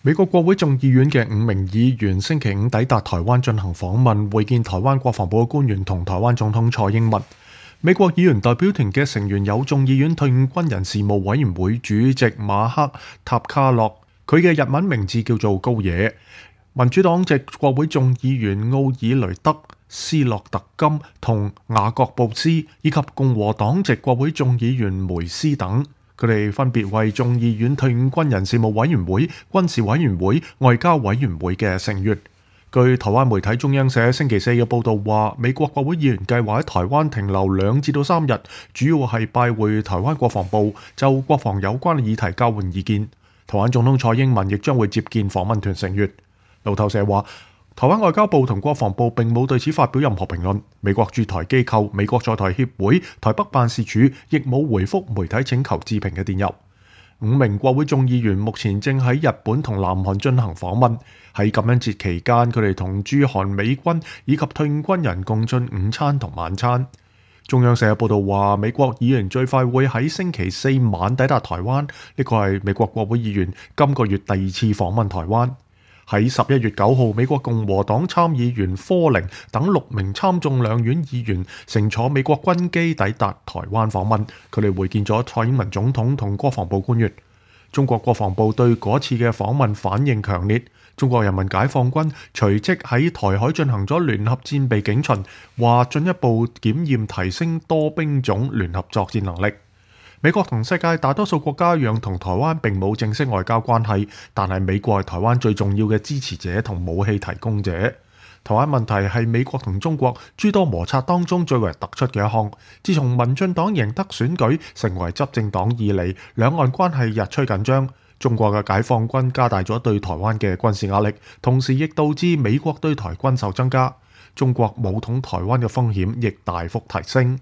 美國國會眾議院嘅5名議員星期五抵達台灣進行訪問，會見台灣國防部嘅官員同台灣總統蔡英文。美國議員代表團嘅成員有眾議院退伍軍人事務委員會主席馬克塔卡洛，佢嘅日文名字叫做高野；民主黨籍國會眾議員奧爾雷德斯洛特金同雅各布斯，以及共和黨籍國會眾議員梅斯等。佢哋分別為眾議院退伍軍人事務委員會、軍事委員會、外交委員會嘅成員。據台灣媒體中央社星期四嘅報導話，美國國會議員計劃喺台灣停留2至3日，主要係拜會台灣國防部，就國防有關嘅議題交換意見。台灣總統蔡英文亦將會接見訪問團成員。路透社話，台灣外交部同國防部並冇對此發表任何評論。美國駐台機構美國在台協會台北辦事處亦冇回覆媒體請求置評嘅電郵。5名國會眾議員目前正喺日本同南韓進行訪問。喺感恩節期間，佢哋同駐韓美軍以及退伍軍人共進午餐同晚餐。中央社報道話，美國議員最快會喺星期四晚抵達台灣，呢個係美國國會議員今個月第2次訪問台灣。喺11月9號，美國共和黨參議員科寧等6名參眾兩院議員乘坐美國軍機抵達台灣訪問，佢哋會見咗蔡英文總統同國防部官員。中國國防部對嗰次嘅訪問反應強烈，中國人民解放軍隨即喺台海進行咗聯合戰備警巡，話進一步檢驗提升多兵種聯合作戰能力。美國同世界大多數國家一樣，同台灣並冇正式外交關係，但係美國係台灣最重要嘅支持者同武器提供者。台灣問題係美國同中國諸多摩擦當中最為突出嘅一項。自從民進黨贏得選舉成為執政黨以嚟，兩岸關係日趨緊張。中國嘅解放軍加大咗對台灣嘅軍事壓力，同時亦導致美國對台軍售增加。中國武統台灣嘅風險亦大幅提升。